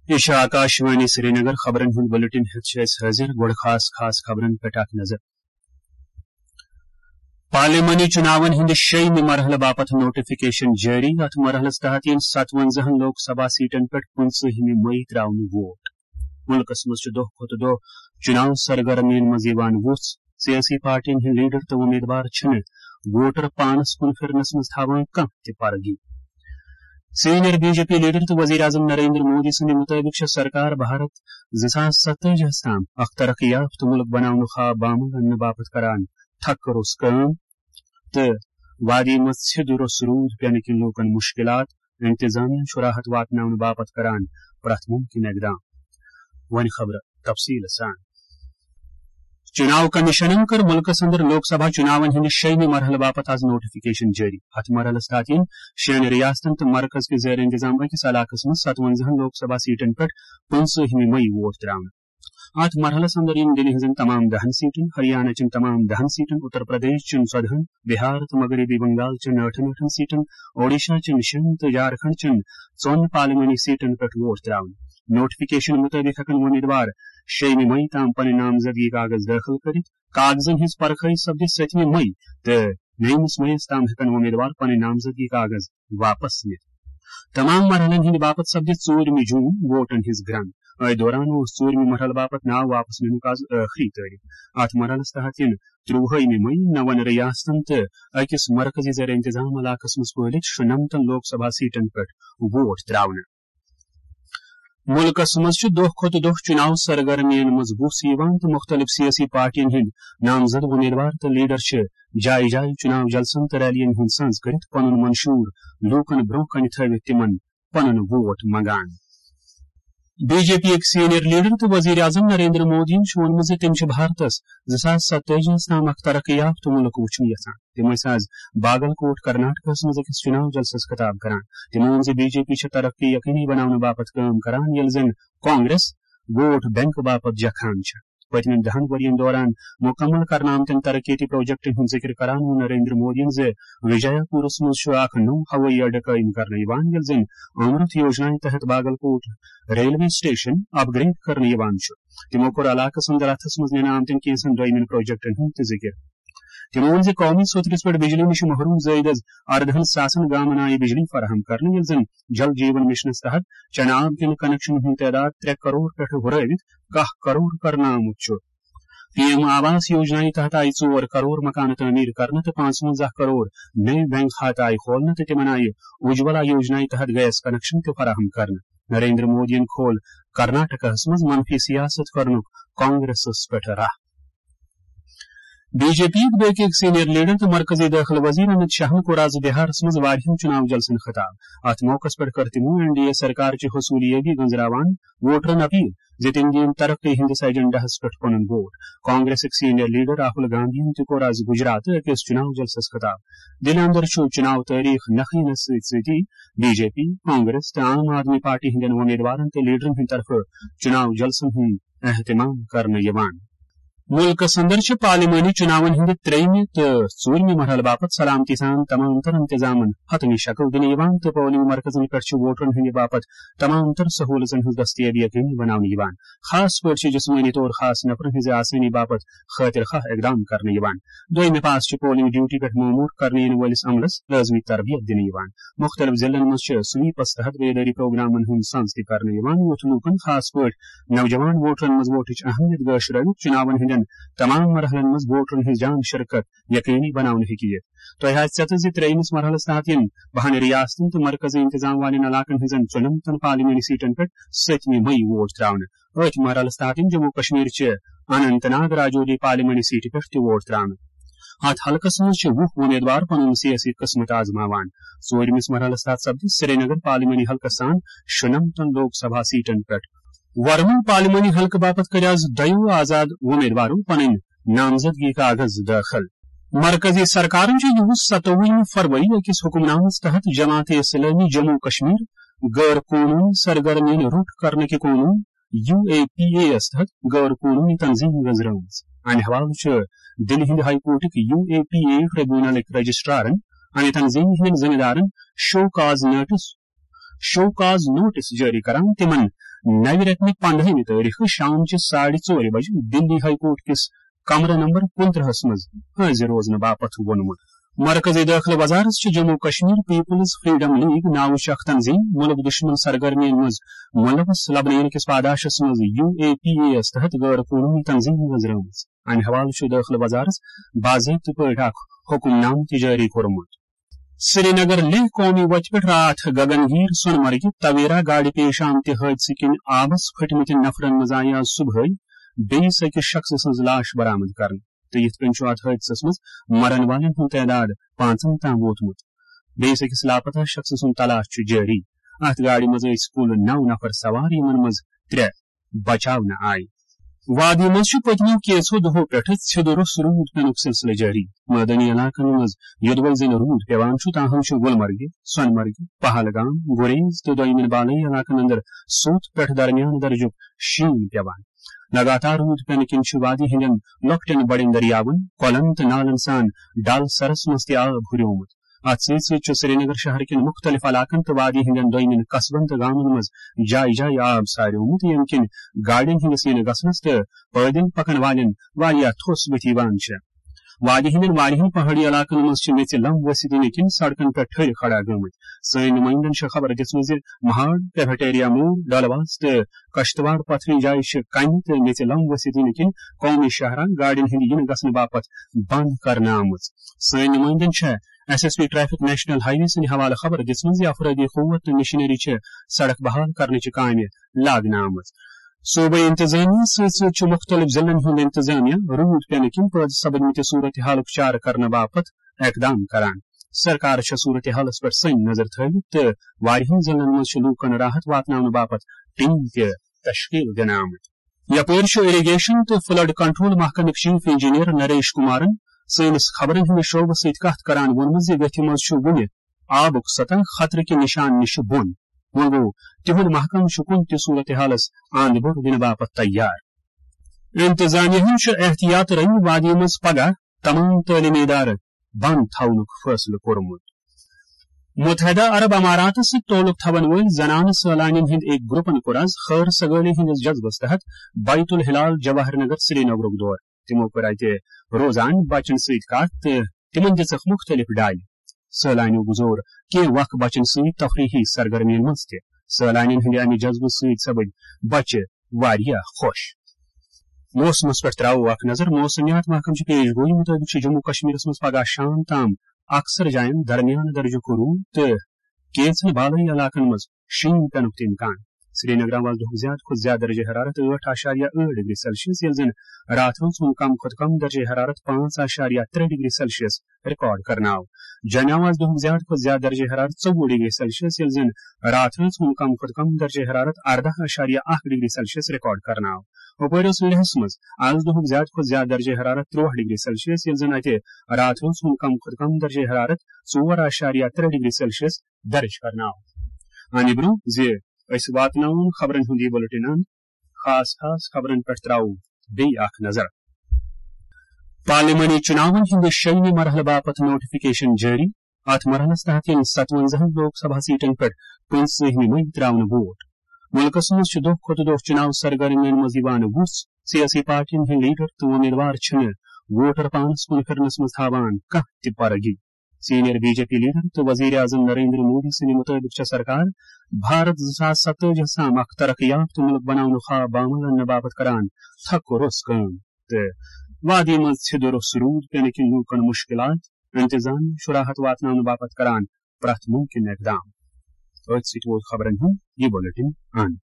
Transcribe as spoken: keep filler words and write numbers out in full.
یہِ چھُ آکاشوانی سرینگر۔ خبرن ہُنٛد بلیٹن ہیٚتھ چھِ أسۍ حٲضِر۔ گۄڈٕ خاص خاص خبرن پٮ۪ٹھ اکھ نظر۔ پارلیمانی چُناون ہٕنٛدِ شیٚیمہِ مرحلہٕ باپتھ نوٹیفکیشن جٲری۔ اتھ مرحلس تحت یِن ستونزاہن لوک سبھا سیٹن پٮ۪ٹھ پٕنٛژٕہمہِ مئی ترٛاونہٕ ووٹ۔ مُلکس منٛز چھُ دۄہ کھۄتہٕ دۄہ چُناو سرگرمیَن منٛز یِوان وُژھ۔ سیٲسی پارٹیَن ہٕنٛدۍ لیڈر تہٕ وۄمیدوار چھِنہٕ ووٹر پانس کُن پھِرنس منٛز تھاوان کانٛہہ تہِ پرگی۔ Senior B J P leader تہٕ وزیر اعظم نریندر مودی سٕنٛدِ مُطٲبِق چھےٚ سرکار بھارت زٕ ساس ستٲجی ہَس تام اکھ ترقی یافتہٕ مُلک بناونُک خواب بامل اننہٕ باپتھ کران۔ تھکہٕ روٚس کٲم تہٕ وادی منٛز ژھِد روٚس روٗد پینہٕ کِنۍ لوٗکن مُشکِلات، انتظامیہ چھُ راحت واتناونہٕ باپتھ کران پرٛٮ۪تھ مُمکِن اقدام۔ وۄنۍ خبرٕ تفصیٖل سان۔ چُناو کمیشنن کٔر مُلکس اندر لوک سبھا چُناون ہٕنٛدِ شیٚیمہِ مرحلہٕ باپتھ از نوٹیفکیشن جٲری۔ اتھ مرحلس تحت یِن شیٚن ریاستن تہٕ مرکز کہِ زیر انتظام أکِس علاقس منٛز ستونزاہن لوک سبھا سیٹن پٮ۪ٹھ پٕنٛژٕہمہِ مئی ووٹ ترٛاونہٕ۔ اتھ مرحلس اندر یِن دِلہِ ہٕنٛزن تمام دہن سیٹن، ہریانہ چٮ۪ن تمام دہن سیٹن، اتر پردیش چٮ۪ن ژۄدہن، بہار تہٕ مغربی بنگال چٮ۪ن ٲٹھن ٲٹھن سیٹن، اوڈیشہ چٮ۪ن شٮ۪ن تہٕ جھارکھنڈ چٮ۪ن ژۄن پارلیمانی سیٹن پٮ۪ٹھ ووٹ ترٛاونہٕ۔ نوٹیفکیشن مُطٲبِق ہٮ۪کن وۄمیدوار شیٚیمہِ مئی تام پنٕنۍ نامزدگی کاغذ دٲخل کٔرِتھ۔ کاغذن ہٕنٛز پرکھٲے سپدِ ستمہِ مئی تہٕ نٔیمِس مئیس تام ہٮ۪کن وۄمیدوار پنٕنۍ نامزدگی کاغذ واپس نِتھ۔ تمام مرحلن ہٕنٛدِ باپتھ سپدِ ژوٗرمہِ جوٗن ووٹن ہٕنٛز گرنٛد۔ أتھۍ دوران اوس ژوٗرمہِ مرحلہٕ باپتھ ناو واپس نِنُک از ٲخری تٲریخ۔ اتھ مرحلس تحت یِن ترٛوُہمہِ مئی نون ریاستن تہٕ أکِس مرکزی زیر انتظام علاقس منٛز پھٲلِتھ شُنمتن لوک سبھا سیٹن پٮ۪ٹھ ووٹ ترٛاونہٕ۔ مُلکس منٛز چھُ دۄہ کھۄتہٕ دۄہ چُناو سرگرمیَن منٛز وُژھ یِوان تہٕ مُختٔلِف سیٲسی پارٹیَن ہٕنٛدۍ نامزد وۄمیدوار تہٕ لیڈر چھِ جایہِ جایہِ چُناو جلسن تہٕ ریلیَن ہُنٛد سنز کٔرِتھ پنُن منشور لوٗکن برٛونٛہہ کنہِ تھٲوِتھ تِمن پنُن ووٹ منگان۔ بی جے پی یٕکۍ سینئر لیڈر تہٕ وزیر اعظم نریندر مودیَن چھُ ووٚنمُت زِ تِم چھِ بھارتس زٕ ساس ستٲجی ہَس تام اکھ ترقی یافتہٕ مُلک وُچھُن یژھان۔ تِم ٲسۍ از باگل کوٹ کرناٹکس منٛز أکِس چُناو جلسس خطاب کران۔ تِمو ووٚن زِ بی جے پی چھِ ترقی یقینی بناونہٕ باپتھ کٲم کران، ییٚلہِ زن کانگریس ووٹ بینک باپتھ جکھان چھِ۔ پٔتمٮ۪ن دہن ؤرین دوران مُکمل کرنہٕ آمتٮ۪ن ترقیتی پروجیکٹن ہُنٛد ذِکر کران ووٚن نریندر مودیَن زِ وجایا پورس منٛز چھُ اکھ نوٚو ہوٲیی اڈٕ قٲیِم کرنہٕ یِوان، ییٚلہِ زن امرت یوجنایہِ تحت باگل کوٹ ریلوے سٹیشن اپ گریڈ کرنہٕ یِوان چھُ۔ تِمو کوٚر علاقس اندر اتھس منٛز نِنہٕ آمتٮ۪ن کینٛژن دوٚیمٮ۪ن پروجیکٹن ہُنٛد تہِ ذِکر۔ تِمو ووٚن زِ قومی سوٚتھ رِس پٮ۪ٹھ بجلی نِش محروم زٲیدس اردہن ساسن گامن آیہِ بجلی فراہم کرنہٕ، ییٚلہِ زن جل جیون مشنس تحت چنہٕ آب کٮ۪ن کنکشنن ہُنٛد تعداد ترٛےٚ کرور پٮ۪ٹھ ہُرٲوِتھ کاہ کرور کرنہٕ آمُت چھُ۔ پی ایم آواس یوجنایہِ تحت آیہِ ژور کرور مکانہٕ تعمیٖر کرنہٕ تہٕ پانٛژونٛزاہ کرور نٔوۍ بینک کھاتہٕ آیہِ کھولنہٕ تہٕ تِمن آیہِ اجولا یوجنایہِ تحت گیس کنکشن تہِ فراہم کرنہٕ۔ نریندر مودیَن کھول کرناٹکس منٛز منفی سیاست کرنُک کانگریسس پٮ۪ٹھ راہ۔ بی جے پی یٕکۍ بیٚکہِ أکۍ سینئر لیڈر تہٕ مرکزی دٲخلہٕ وزیر امت شاہن کوٚر از بہارس منٛز واریاہن چُناو جلسن خطاب۔ اتھ موقعس پٮ۪ٹھ کٔر تِمو این ڈی اے سرکار چہِ حصوٗلیٲبی گنزراوان ووٹرن اپیل زِ تِم دِیِن ترقی ہٕنٛدِس ایجنڈاہس پٮ۪ٹھ پنُن ووٹ۔ کانگریسٕکۍ سینئر لیڈر راہل گاندھین تہِ کوٚر از گجرات أکِس چُناو جلسس خطاب۔ دِلہِ اندر چھُ چُناو تٲریخ نکھٕ یِنس سۭتۍ سۭتی بی جے پی، کانگریس تہٕ عام آدمی پارٹی ہٕنٛدٮ۪ن وۄمیدوارن تہٕ لیڈرن ہٕنٛدِ طرفہٕ چُناو جلسن ہُنٛد اہتمام کرنہٕ یِوان۔ مُلکس اندر چھِ پارلیمانی چُناون ہٕنٛدِ ترٛیٚیمہِ تہٕ ژوٗرمہِ مرحلہٕ باپتھ سلامتی سان تمام تر انتظامن حتمی شکل دِنہٕ یِوان تہٕ پولنگ مرکزن پٮ۪ٹھ چھِ ووٹرن ہٕنٛدِ باپتھ تمام تر سہوٗلژن ہٕنٛز دستیٲبی یقینی بناونہٕ یِوان۔ خاص پٲٹھۍ چھِ جسمٲنی طور خاص نفرن ہٕنٛزِ آسٲنی باپتھ خٲطر خواہ اقدام کرنہٕ یِوان۔ دوٚیمہِ پاس چھِ پولنگ ڈیوٹی پٮ۪ٹھ مامور کرنہٕ یِنہٕ وٲلِس عملس لٲزمی تربیت دِنہٕ یِوان۔ مُختٔلِف ضلعن منٛز چھِ سویپس تحت بیدٲری پروگرامن ہُنٛد سنز تہِ کرنہٕ یِوان، یُتھ لوٗکن، خاص پٲٹھۍ نوجوان ووٹرن منٛز ووٹٕچ اہمیت گٲش رٲوِتھ چُناون ہٕنٛدٮ۪ن تمام مرحلن منٛز ووٹرن ہٕنٛز جان شرکت یقینی بناونہٕ ہیٚکہِ یِتھ۔ تۄہہِ آسہِ ژےٚ تہِ زِ ترٛیٚیمِس مرحلس تحت یِن بہن ریاستن تہٕ مرکزی انتظام والٮ۪ن علاقن ہٕنٛزن ژُنمتن پارلیمانی سیٹن پٮ۪ٹھ ستمہِ مئی ووٹ ترٛاونہٕ۔ أتھۍ مرحلس تحت یِن جموں کشمیر چہِ اننت ناگ راجوری پارلیمانی سیٹہِ پٮ۪ٹھ تہِ ووٹ ترٛاونہٕ۔ اتھ حلقس منٛز چھِ وُہ وۄمیدوار پنُن سیٲسی قسمت آزماوان۔ ژوٗرمِس مرحلس تحت سپدِ سرینگر پارلیمانی حلقس سان شُنمتن لوک سبھا سیٹن پٮ۪ٹھ۔ ورمُل پارلیمانی حلقہٕ باپتھ کٔرۍ از دۄیو آزاد وۄمیدوارو پنٕنۍ نامزدگی کاغذ دٲخل۔ مرکزی سرکارن چھُ یِہُس ستووُہمہِ فروری أکِس حکم نامس تحت جماعت اسلامی جموں کشمیر غٲر قونوٗنی سرگرمیَن روٚٹ کرنہٕ کہِ قونوٗن، یو اے پی اے یَس تحت غٲر قونوٗنی تنظیٖم گٔنٛزرٲومٕژ۔ امہِ حوالہٕ چھُ دِلہِ ہٕنٛدِ ہائی کورٹٕکۍ یو اے پی اے ٹریبونلٕکۍ رجسٹرارن امہِ تنظیٖمہِ ہٕنٛدٮ۪ن ذمہٕ دارن show cause notice, show cause notice جٲری کران، تِمن نوِ رٮ۪تہٕ پندہمہِ تٲریخہٕ شام چہِ ساڑِ ژورِ بجہِ دِلی ہائی کورٹ کِس کمرٕ نمبر کُنترٕہس منٛز حٲضِر روزنہٕ باپتھ ووٚنمُت۔ مرکزی دٲخلہٕ وزارت چھُ Jammu Kashmir people's freedom league ناوٕچ اکھ تنظیٖم مُلک دُشمن سرگرمیَن منٛز مُلوث لبنہٕ یِنہٕ کِس پاداشس منٛز یو اے پی اے یَس تحت غٲر قونوٗنی تنظیٖم نظرٲومٕژ۔ امہِ حوالہٕ چھُ دٲخلہٕ وزارت باضٲبطہٕ پٲٹھۍ اکھ حکم نامہٕ تہِ جٲری کوٚرمُت۔ سرینگر لیہہ قومی وتہِ پٮ۪ٹھ راتھ گگن گیٖر سۄنہٕ مرگہِ تویرا گاڑِ پیش آمتہِ حٲدثہٕ کِنۍ آبس پھٔٹمٕتٮ۪ن نفرن منٛز آیہِ آز صبحٲے بیٚیِس أکِس شخصہٕ سٕنٛز لاش برآمد کرنہٕ، تہٕ یِتھ کٔنۍ چھُ اتھ حٲدثس منٛز مرن والٮ۪ن ہُنٛد تعداد پانٛژن تام ووتمُت۔ بیٚیِس أکِس لاپتہ شخصہٕ سُنٛد تلاش چھُ جٲری۔ اتھ گاڑِ منٛز ٲسۍ کُل نو نفر سوار، یِمن منٛز ترٛےٚ بچاونہٕ آیہِ۔ وادی منٛز چھُ پٔتمیو کینٛژھو دۄہو پٮ۪ٹھٕ ژھیوٚد روٚس روٗد پینُک سلسلہٕ جٲری۔ مٲدٲنی علاقن منٛز یوٚدوَے زَن روٗد پٮ۪وان چھُ، تاہم چھُ گُلمرگہِ، سۄنہٕ مرگہِ، پہلگام، گُریز تہٕ دوٚیمٮ۪ن بالٲیی علاقن اندر سوٚت پٮ۪ٹھ درمیان درجُک شیٖن پٮ۪وان۔ لگاتار روٗد پینہٕ کِنۍ چھُ وادی ہٕنٛدٮ۪ن لۄکٹٮ۪ن بڑٮ۪ن دٔریاون، کۄلن تہٕ نالن سان ڈل سرس منٛز تہِ آب ہُریومُت۔ اتھ سۭتۍ سۭتۍ چھُ سرینگر شہر کٮ۪ن مُختٔلِف علاقن تہٕ وادی ہٕنٛدٮ۪ن دوٚیمٮ۪ن قصبن تہٕ گامن منٛز جایہِ جایہِ آب ساریومُت، ییٚمہِ کِنۍ گاڑٮ۪ن ہٕنٛدِس یِنہٕ گژھنس تہٕ پٲدٕلۍ پکن والٮ۪ن واریاہ تھوٚس بُتھِ یِوان چھےٚ۔ وادی ہٕنٛدٮ۪ن واریاہن پہٲڑی علاقن منٛز چھِ میٚژِ لم ؤسِتھ یِنہٕ کِنۍ سڑکن پٮ۪ٹھ ٹھٔرۍ کھڑا گٔمٕتۍ۔ سٲنۍ نُمٲیندن چھےٚ خبر دِژمٕژ زِ مہاڑ، کیفیٹیریا موڑ، ڈلواس تہٕ کشتواڑ پتھرِ جایہِ چھِ کنہِ تہٕ میٚژِ لم ؤسِتھ یِنہٕ کِنۍ قومی شاہراہ گاڑٮ۪ن ہٕنٛدِ یِنہٕ گژھنہٕ باپتھ بند کرنہٕ آمٕژ۔ سٲنۍ نُمٲیندن چھےٚ S S P traffic national highway سٕنٛدِ حوالہٕ خبر دِژمٕژ زِ افرٲدی قوت تہٕ مشینری چھِ سڑک بحال کرنٕچہِ کامہِ لاگنہٕ آمٕژ۔ صوبٲئی انتظامیہ سۭتۍ سۭتۍ چھُ مُختٔلِف ضلعن ہُنٛد انتظامیہ روٗد پینہٕ کِنۍ پٲدٕ سپدمٕتہِ صورتحالُک چارٕ کرنہٕ باپتھ اقدام کران۔ سرکار چھےٚ صورتحالس پٮ۪ٹھ سٔنۍ نظر تھٲوِتھ تہٕ واریاہن ضلعن منٛز چھِ لوٗکن راحت واتناونہٕ باپتھ ٹیم تہِ تشکیل دِنہٕ آمٕتۍ۔ یپٲرۍ چھُ ایریگیشن تہٕ فلڈ کنٹرول محکمٕکۍ چیف انجینئر نریش کمارن سٲنِس خبرن ہٕنٛدِس شعبس سۭتۍ کتھ کران ووٚنمُت زِ ویتھِ منٛز چھُ وُنہِ آبُک سطح خطرٕ کہِ نشان نِش بۄن۔ وۄنۍ گوٚو، تِہُنٛد محکمہٕ چھُ کُنہِ تہِ صورتحالس اند بوٚر دِنہٕ باپتھ تیار۔ انتظامیہ ہن چھُ احتیاط رنگہِ وادی منٛز پگاہ تمام تعلیمی ادارٕ بند تھاونُک فٲصلہٕ کوٚرمُت۔ متحدہ عرب اماراتس سۭتۍ تعلق تھاون وٲلۍ زنانہٕ سٲلانین ہٕنٛدۍ أکۍ گروپن کوٚر آز خٲر سگٲلی ہٕنٛدِس جذبس تحت بیت الہلال جواہر نگر سرینگرُک دورٕ۔ تِمو کٔر اتہِ روزان بچن سۭتۍ کتھ تہٕ تِمن دِژکھ مُختٔلِف ڈالہِ۔ سٲلانیو گُزور کینٛہہ وق بچن سۭتۍ تفریحی سرگرمین منٛز تہِ۔ سٲلانین ہٕنٛدِ امہِ جذبہٕ سۭتۍ سپٕدۍ بچہِ واریاہ خۄش۔ موسمس پٮ۪ٹھ تراوو اکھ نظر۔ موسمیات محکمہٕ چہِ پیش گویی مُطٲبِق چھُ جموں کشمیرس منٛز پگاہ شام تام اکثر جاین درمیان درجُک روٗد تہٕ کینٛژن بالٲیی علاقن منٛز شیٖن پینُک تہِ امکان۔ سرینگرٕ آز دُہُک زیادٕ کھۄتہٕ زیادٕ درجہ حرارت ٲٹھ اعشاریہ ٲٹھ ڈگری سیلسیس، ییٚلہِ زن راتھ روز ہُنٛد کم کھۄتہٕ کم درجہ حرارت پانٛژھ اعشاریہ ترٛےٚ ڈگری سیلسیس ریکارڈ کرنہٕ آو۔ جوٚمہِ آو آز دُہُک زیادٕ کھۄتہٕ زیادٕ درجہ حرارت ژوٚوُہ ڈگری سیلسیس، ییٚلہِ زن راتھ روز ہُنٛد کم کھۄتہٕ کم درجہ حرارت ارداہ اعشاریہ اکھ ڈگری سیلسیس ریکارڈ کرنہٕ آو۔ ہُپٲرۍ اوس لیہس منٛز آز دُہُک زیادٕ کھۄتہٕ زیادٕ درجہ حرارت ترٛوہ ڈگری سیلسیس، ییٚلہِ زن اتہِ راتھ روز ہُنٛد کم کھۄتہٕ کم درجہ حرارت ژور اعشاریہ ترٛےٚ ڈگری سیلسیس درج کرنہٕ آو۔ اَمہِ برٛونٛہہ زِ أسۍ واتناوون خبرن ہُنٛد یہِ بُلٹن اند، خاص خاص خبرن پٮ۪ٹھ ترٛاوو بیٚیہِ اکھ نظر۔ پارلیمانی چُناون ہٕنٛدِ شیٚیِمہِ مرحلہٕ باپتھ نوٹیفکیشن جٲری۔ اتھ مرحلس تحت یِن ستونزاہن لوک سبھا سیٹن پٮ۪ٹھ پٕنٛژٕہمہِ مئی ترٛاونہٕ ووٹ۔ مُلکس منٛز چھِ دۄہ کھۄتہٕ دۄہ چُناو سرگرمین منٛز یِوان وُژھ۔ سیٲسی پارٹین ہٕنٛدۍ لیڈر تہٕ وۄمیدوار چھِنہٕ ووٹر پانس کُن پھِرنس منٛز تھاوان کانٛہہ تہِ پرگی۔ Senior B J P leader تہٕ وزیر اعظم نریندر مودی سٕنٛدِ مُطٲبِق چھےٚ سرکار بھارت زٕ ساس ستٲجی ہس تام اکھ ترقی یافتہٕ مُلک بناونُک خواب بعمل اننہٕ باپتھ کران تھکہٕ روٚس کٲم۔ تہٕ وادی منٛز ژھیٚدٕ روٚس روٗد پینہٕ کِنۍ لوٗکن مُشکلات، انتظامیہ چھُ راحت واتناونہٕ باپتھ کران پرٛٮ۪تھ مُمکِن اقدام۔ أتھۍ سۭتۍ ووت خبرن ہُنٛد یہِ بُلٹن اند۔